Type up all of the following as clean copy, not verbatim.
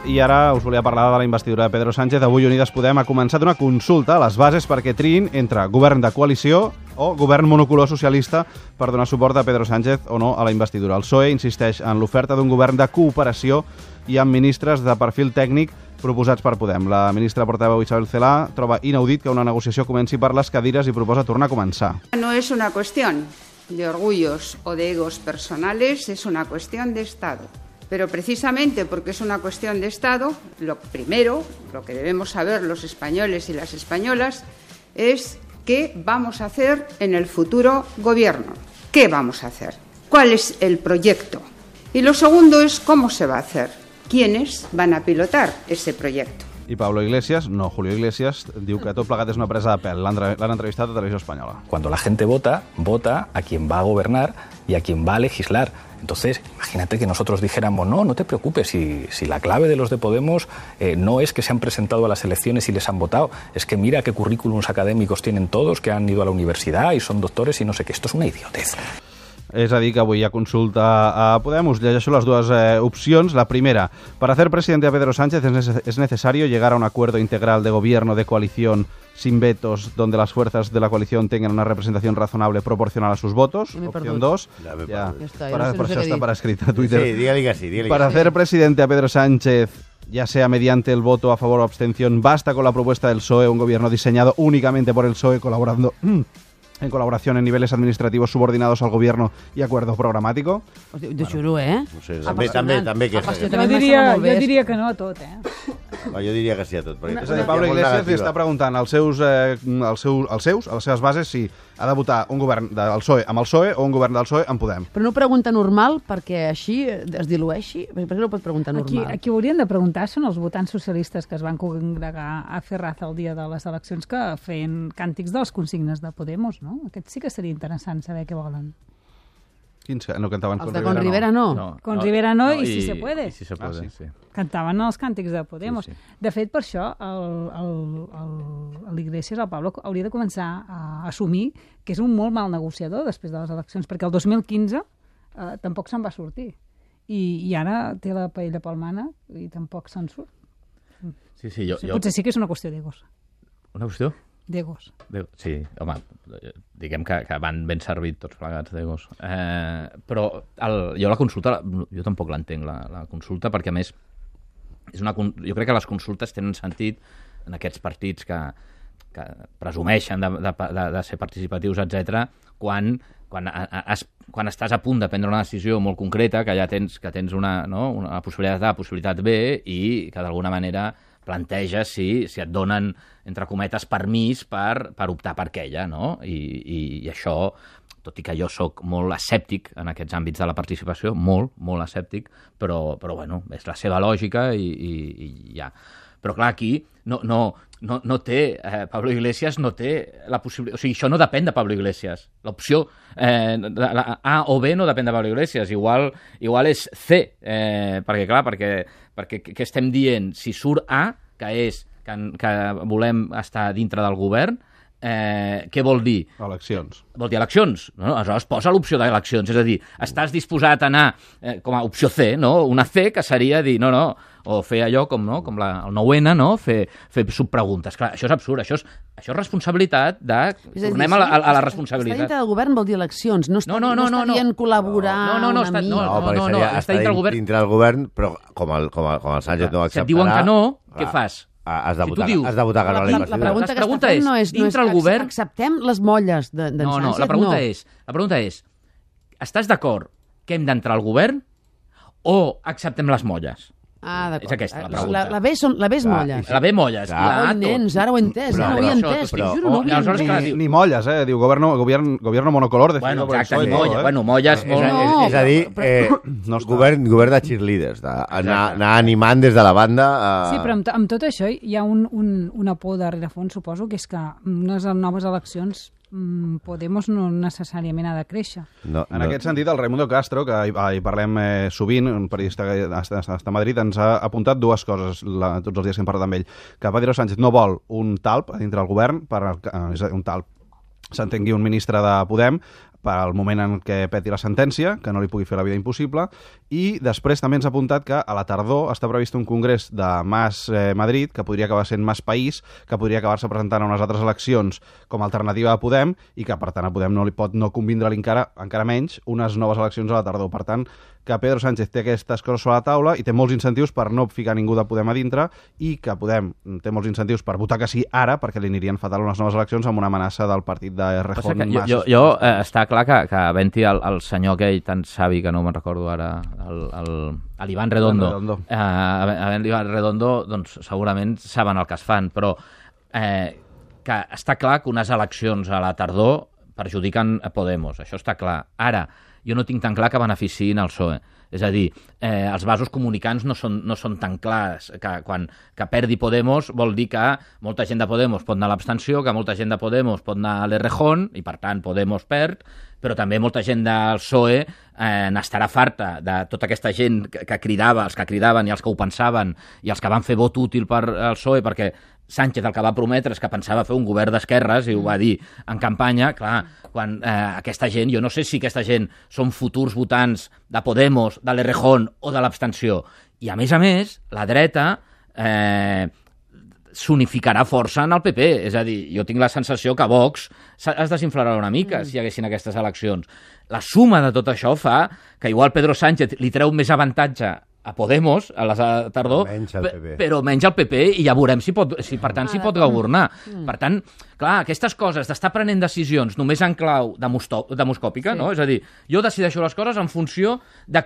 I ara us volia parlar de la investidura de Pedro Sánchez. Avui Unides Podem ha començat una consulta a les bases perquè triïn entre govern de coalició o govern monocolor socialista per donar suport a Pedro Sánchez o no a la investidura. El PSOE insisteix en l'oferta d'un govern de cooperació i amb ministres de perfil tècnic proposats per Podem. La ministra portaveu Isabel Celaá troba inaudit que una negociació comenci per les cadires i proposa tornar a començar. No es una cuestión de orgullos o de egos personales, es una cuestión de Estado. Pero precisamente porque es una cuestión de Estado, lo primero, lo que debemos saber los españoles y las españolas, es qué vamos a hacer en el futuro gobierno. ¿Qué vamos a hacer? ¿Cuál es el proyecto? Y lo segundo es cómo se va a hacer. ¿Quiénes van a pilotar ese proyecto? I Pablo Iglesias, no Julio Iglesias, diu que tot plegat és una presa de pèl. L'han entrevistat a Televisió Espanyola. Cuando la gente vota, vota a quien va a gobernar y a quien va a legislar. Entonces, imagínate que nosotros dijéramos, no te preocupes, si la clave de los de Podemos no es que se han presentado a las elecciones y les han votado, es que mira qué currículums académicos tienen todos, que han ido a la universidad y son doctores y no sé qué. Esto es una idiotez. És a dir, que avui hi ha consulta a Podem. Us llegeixo les dues opcions. La primera, para hacer presidente a Pedro Sánchez es necesario llegar a un acuerdo integral de gobierno de coalición sin vetos, donde las fuerzas de la coalición tengan una representación razonable proporcional a sus votos. Opción 2. Ja Por això està per escrit a Twitter. Sí, digue-li que sí. Para hacer presidente a Pedro Sánchez, ya sea mediante el voto a favor o abstención, basta con la propuesta del PSOE, un gobierno diseñado únicamente por el PSOE, colaborando en colaboración en niveles administrativos subordinados al gobierno y acuerdo programático. De xulo, No sé, també que és. Jo diria que no a tot, Jo diria que sí a tot. És a dir, Pablo Iglesias li està preguntant als a les seves bases, si ha de votar un govern del PSOE amb el PSOE o un govern del PSOE amb Podem. Però no pregunta normal perquè així es dilueixi? Per què no pot preguntar normal? Aquí haurien de preguntar són els votants socialistes que es van congregar a Ferraz el dia de les eleccions que feien càntics de les consignes de Podemos, no? Aquest sí que seria interessant saber què volen. Quins no cantaven Els de Con Rivera no. Con Rivera no i si se puede. Si se puede, sí. Cantaven els càntics de Podemos. Sí. De fet, per això, l'Iglesias, el Pablo, hauria de començar a assumir que és un molt mal negociador després de les eleccions, perquè el 2015 tampoc se'n va sortir. I ara té la paella pel mànec i tampoc se'n surt. Sí, Potser sí que és una qüestió d'egos. Una qüestió? D'egos. Sí, home, diguem que van ben servits tots plegats d'egos. Però jo la consulta, jo tampoc l'entenc, la consulta, perquè a més jo crec que les consultes tenen sentit en aquests partits que presumeixen de ser participatius, etc. quan estàs a punt de prendre una decisió molt concreta, que ja tens una possibilitat A, possibilitat B, i que d'alguna manera planteges si et donen, entre cometes, permís per optar per aquella, no? I això, tot i que jo sóc molt escèptic en aquests àmbits de la participació, molt escèptic, però bueno, és la seva lògica i ja. Però clar, aquí no té, Pablo Iglesias no té la possibilitat, o sigui, això no depèn de Pablo Iglesias. L'opció A o B no depèn de Pablo Iglesias, igual és C, perquè què estem dient? Si surt A, que és que volem estar dintre del govern, què vol dir? Eleccions. Vol dir eleccions. No? Aleshores posa l'opció d'eleccions, és a dir, estàs disposat a anar com a opció C, no? Una C que seria dir, no, o fer allò com el 9-N, no? Fer subpreguntes. Clar, això és absurd, això és responsabilitat de... Tornem a la responsabilitat. Estar dintre del govern vol dir eleccions, no està dient col·laborar una mica. No, està dintre del govern, però com el Sánchez no acceptarà... Si et diuen que no, què fas? Has de votar que no a la investidura. La pregunta que no és que acceptem les molles d'en Sánchez. No, la pregunta és, estàs d'acord que hem d'entrar al govern o acceptem les molles? Ah, d'acord. És aquesta la pregunta. La B és molles. La B molles. Oi, nens, ara ho he entès. No ho he entès. Ni molles, diu gobierno monocolor. Bueno, exacte, ni molles. Bueno, molles... És a dir, govern de cheerleaders, anar animant des de la banda... Sí, però amb tot això hi ha una por de rerefons, suposo, que és que unes noves eleccions Podemos no necessàriament ha de créixer. En aquest sentit, el Raimundo Castro, que hi parlem sovint, un periodista que està a Madrid, ens ha apuntat dues coses tots els dies que hem parlat amb ell. Que Pedro Sánchez no vol un talp a dintre del govern, un talp s'entengui un ministre de Podem, pel moment en què peti la sentència, que no li pugui fer la vida impossible, i després també ens ha apuntat que a la tardor està previst un congrés de Mas Madrid, que podria acabar sent Mas País, que podria acabar-se presentant a unes altres eleccions com a alternativa a Podem, i que per tant a Podem no li pot no convindre-li encara menys unes noves eleccions a la tardor. Per tant, que Pedro Sánchez té aquestes coses sobre la taula i té molts incentius per no ficar ningú de Podem a dintre, i que Podem té molts incentius per votar que sí ara, perquè li anirien fatal unes noves eleccions amb una amenaça del partit de Errejón. Jo està clar que havent-hi el senyor aquell tan savi, que no me'n recordo ara, l'Ivan Redondo. Havent l'Ivan Redondo, doncs segurament saben el que es fan, però que està clar que unes eleccions a la tardor perjudiquen a Podemos, això està clar. Ara, jo no tinc tan clar que beneficiïn el PSOE. És a dir, els vasos comunicants no són tan clars. Que perdi Podemos vol dir que molta gent de Podemos pot anar a l'abstenció, que molta gent de Podemos pot anar a l'Errejón, i per tant Podemos perd, però també molta gent del PSOE n'estarà farta de tota aquesta gent que cridava, els que cridaven i els que ho pensaven, i els que van fer vot útil per al PSOE, perquè Sánchez el que va prometre és que pensava fer un govern d'esquerres, i ho va dir en campanya. Clar, quan aquesta gent, jo no sé si aquesta gent són futurs votants de Podemos, de l'Errejón o de l'abstenció. I a més, la dreta s'unificarà força en el PP. És a dir, jo tinc la sensació que Vox es desinflarà una mica si hi haguessin aquestes eleccions. La suma de tot això fa que igual Pedro Sánchez li treu més avantatge a Podemos, a la tardor, però menys al PP, i ja veurem si per tant s'hi pot governar. Per tant, clar, aquestes coses d'estar prenent decisions només en clau demoscòpica, no? És a dir, jo decideixo les coses en funció de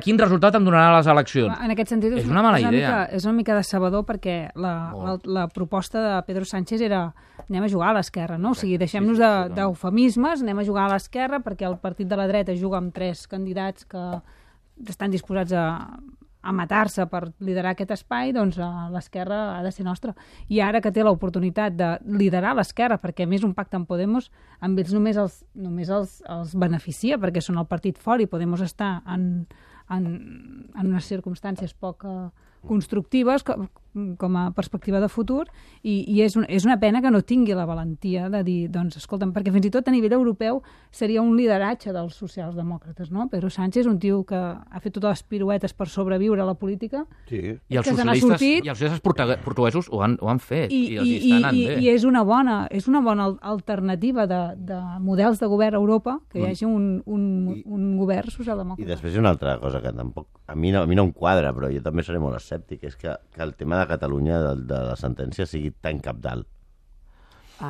quin resultat em donaran les eleccions. En aquest sentit, és una mala idea. És una mica decebedor, perquè la proposta de Pedro Sánchez era anem a jugar a l'esquerra, no? O sigui, deixem-nos d'eufemismes, anem a jugar a l'esquerra, perquè el partit de la dreta juga amb 3 candidats que estan disposats a matar-se per liderar aquest espai, doncs l'esquerra ha de ser nostra. I ara que té l'oportunitat de liderar l'esquerra, perquè a més un pacte amb Podemos, amb ells només els beneficia, perquè són el partit fort i Podemos està en unes circumstàncies poc constructives com a perspectiva de futur, i és una pena que no tingui la valentia de dir, doncs, escolta'm, perquè fins i tot a nivell europeu seria un lideratge dels socialdemòcrates, no? Pedro Sánchez és un tio que ha fet totes les piruetes per sobreviure a la política, i els socialistes portuguesos ho han fet, i els estan anant bé. I és una bona alternativa de models de govern a Europa, que hi hagi un govern socialdemòcrata. I després hi ha una altra cosa que tampoc a mi no em quadra, però jo també seré molt escèptic, és que el tema de Catalunya de la sentència sigui tan cabdal.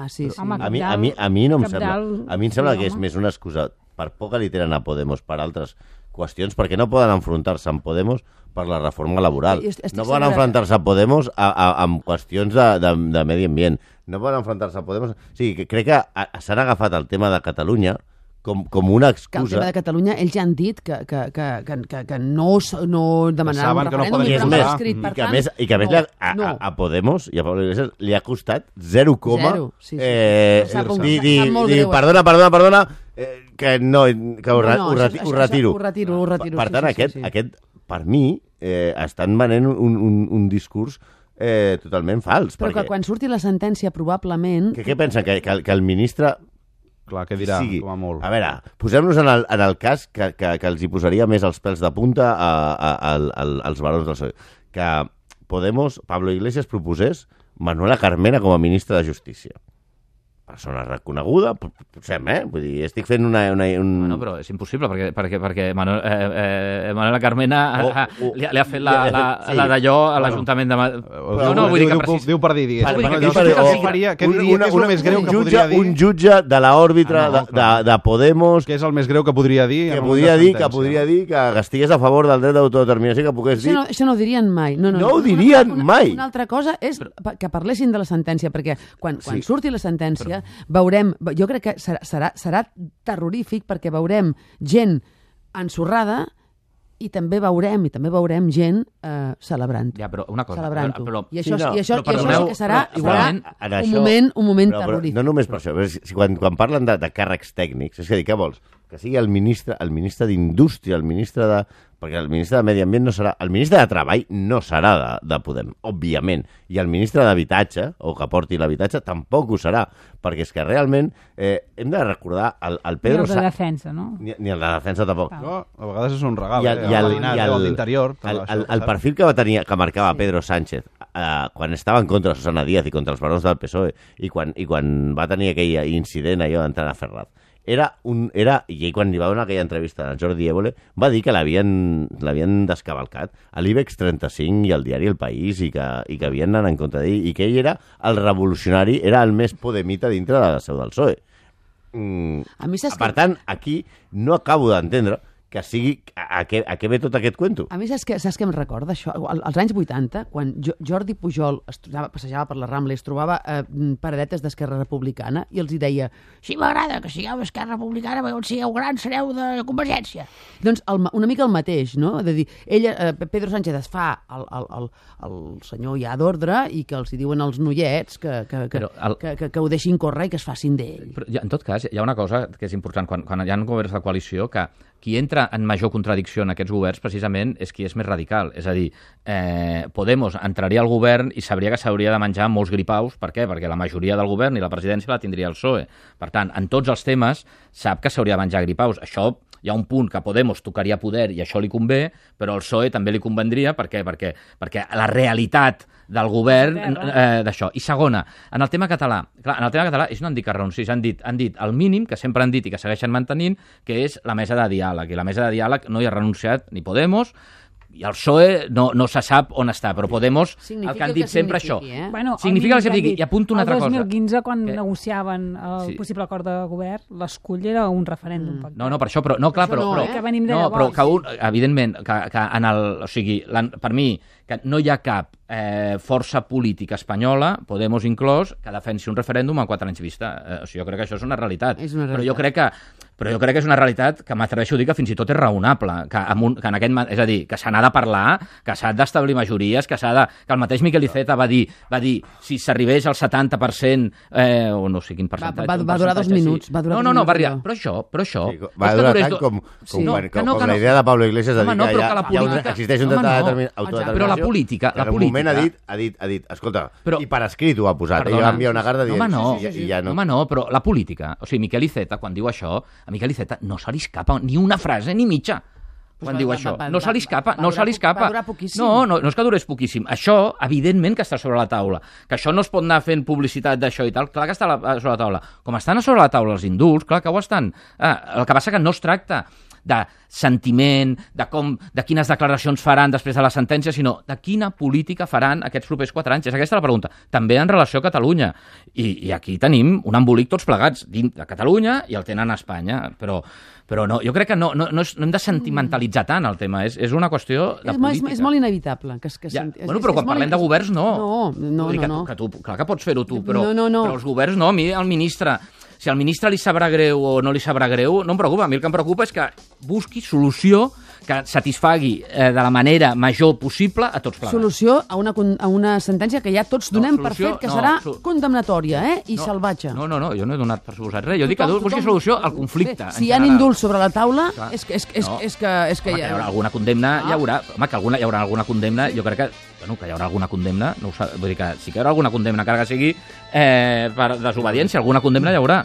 Sí. Home, a mi no em sembla. A mi em sembla que és més una excusa per por que li tenen a Podemos per altres qüestions, perquè no poden enfrontar-se amb Podemos per la reforma laboral. No poden enfrontar-se a Podemos amb qüestions de medi ambient. No poden enfrontar-se a Podemos... O sigui, crec que s'han agafat el tema de Catalunya com una excusa... Que el tema de Catalunya, ells ja han dit que no demanaran un referèndum, i és més, i que a més a Podemos i a Pablo Iglesias li ha costat 0, dir perdona, que ho retiro. Per tant, aquest per mi, estan venent un discurs totalment fals. Però que quan surti la sentència, probablement... Què pensen? Que el ministre... Clar, què dirà? Com a molt. A veure, posem-nos en el cas que els hi posaria més els pèls de punta als barons del PSOE. Que Podemos, Pablo Iglesias, proposés Manuela Carmena com a ministra de Justícia. Persona reconeguda, potser, vull dir, estic fent No, però és impossible, perquè Manuela Carmena li ha fet la d'allò a l'Ajuntament de Madrid. No, vull dir que... Diu per dir, què diria que és el més greu que podria dir? Un jutge de l'òrbita de Podemos... Què és el més greu que podria dir? Que podria dir que estigués a favor del dret d'autodeterminació, que pogués dir... Això no ho dirien mai. No ho dirien mai. Una altra cosa és que parlessin de la sentència, perquè quan surti la sentència veurem, jo crec que serà terrorífic, perquè veurem gent ensorrada i també veurem gent celebrant-ho. Ja, però una cosa... Celebrant-ho. I això sí que serà un moment terrorífic. No només per això, quan parlen de càrrecs tècnics, és a dir, què vols? que sigui el ministre d'Indústria, el ministre de... Perquè el ministre de Medi Ambient no serà... El ministre de Treball no serà de Podem, òbviament. I el ministre d'Habitatge, o que porti l'habitatge, tampoc ho serà. Perquè és que realment hem de recordar el Pedro... Ni el de defensa, no? Ni el de defensa tampoc. No, a vegades és un regal. L'interior. El perfil que marcava Pedro Sánchez quan estava en contra de Susana Díaz i contra els barons del PSOE i quan va tenir aquell incident allò d'entrar a Ferraz, i ell quan li va donar aquella entrevista a Jordi Évole va dir que l'havien descavalcat a l'IBEX 35 i al diari El País i que havien anat en contra d'ell i que ell era el revolucionari, era el més podemita dintre de la seu del PSOE. Per tant, aquí no acabo d'entendre que sigui a què ve tot aquest cuento. A mi saps què em recorda això? Als anys 80, quan Jordi Pujol passejava per la Rambla i es trobava paradetes d'Esquerra Republicana i els hi deia, sí, m'agrada que sigueu d'Esquerra Republicana, perquè on sigueu grans sereu de Convergència. Doncs una mica el mateix, no? És a dir, Pedro Sánchez es fa el senyor ja d'ordre i que els hi diuen als noiets que ho deixin córrer i que es facin d'ell. En tot cas, hi ha una cosa que és important. Quan hi ha governs de coalició, que qui entra en major contradicció en aquests governs precisament és qui és més radical. És a dir, Podemos entraria al govern i sabria que s'hauria de menjar molts gripaus. Per què? Perquè la majoria del govern i la presidència la tindria el PSOE. Per tant, en tots els temes sap que s'hauria de menjar gripaus. Això hi ha un punt que Podemos tocaria poder i això li convé, però al PSOE també li convendria. Per què? Perquè la realitat del govern d'això. I segona, en el tema català. Clar, en el tema català ells no han dit que renunciïs, han dit el mínim que sempre han dit i que segueixen mantenint, que és la mesa de diàleg. I la mesa de diàleg no hi ha renunciat ni Podemos, i el PSOE no se sap on està, però Podemos, el que han dit sempre això. Bueno, significa el que digui. I apunto una altra cosa. El 2015, quan negociaven el possible acord de govern, l'escull era un referèndum. No, per això, però... No, clar, però... Evidentment, o sigui, per mi, que no hi ha cap força política espanyola, Podemos inclòs, que defensi un referèndum en 4 anys vista. O sigui, jo crec que això és una realitat. Però jo crec que és una realitat que m'atreveixo a dir que fins i tot és raonable, que és a dir, que se n'ha de parlar, que s'ha d'establir majories, que el mateix Miquel Iceta va dir si s'arribés al 70%, o no sé quin percentatge... Va durar 2 minuts. No, va arribar. Però això... Va durar tant com la idea de Pablo Iglesias de dir que existeix un autodeterminació. Però la política... En un moment ha dit, escolta, i per escrit ho ha posat, ell va enviar una carta dient... Home, no, però la política... O sigui, Miquel Iceta, quan diu això, a Miquel Iceta no se li escapa ni una frase ni mitja. Quan diu això. No se li escapa. Va durar poquíssim. No és que durés poquíssim. Això, evidentment, que està sobre la taula. Que això no es pot anar fent publicitat d'això i tal. Clar que està sobre la taula. Com estan sobre la taula els indults, clar que ho estan. El que passa que no es tracta de sentiment, de quines declaracions faran després de la sentència, sinó de quina política faran aquests propers 4 anys. És aquesta la pregunta. També en relació a Catalunya. I aquí tenim un embolic tots plegats dins de Catalunya i el tenen a Espanya. Però no, jo crec que no hem de sentimentalitzar tant el tema. És una qüestió de política. És molt inevitable. Bueno, però quan parlem de governs, no. No. Clar que pots fer-ho tu, però els governs no. A mi el ministre... Si al ministre li sabrà greu o no li sabrà greu, no em preocupa. A mi el que em preocupa és que busqui solució que satisfagui de la manera major possible a tots plegats. Solució a una sentència que ja tots donem per fet que serà condemnatòria i salvatge. No, jo no he donat per suposat res. Jo dic que busqui solució al conflicte. Si hi ha indults sobre la taula, és que hi haurà alguna condemna, hi haurà. Home, que hi haurà alguna condemna, jo crec que hi haurà alguna condemna, vull dir que sí que hi haurà alguna condemna, encara que sigui per desobediència, alguna condemna hi haurà.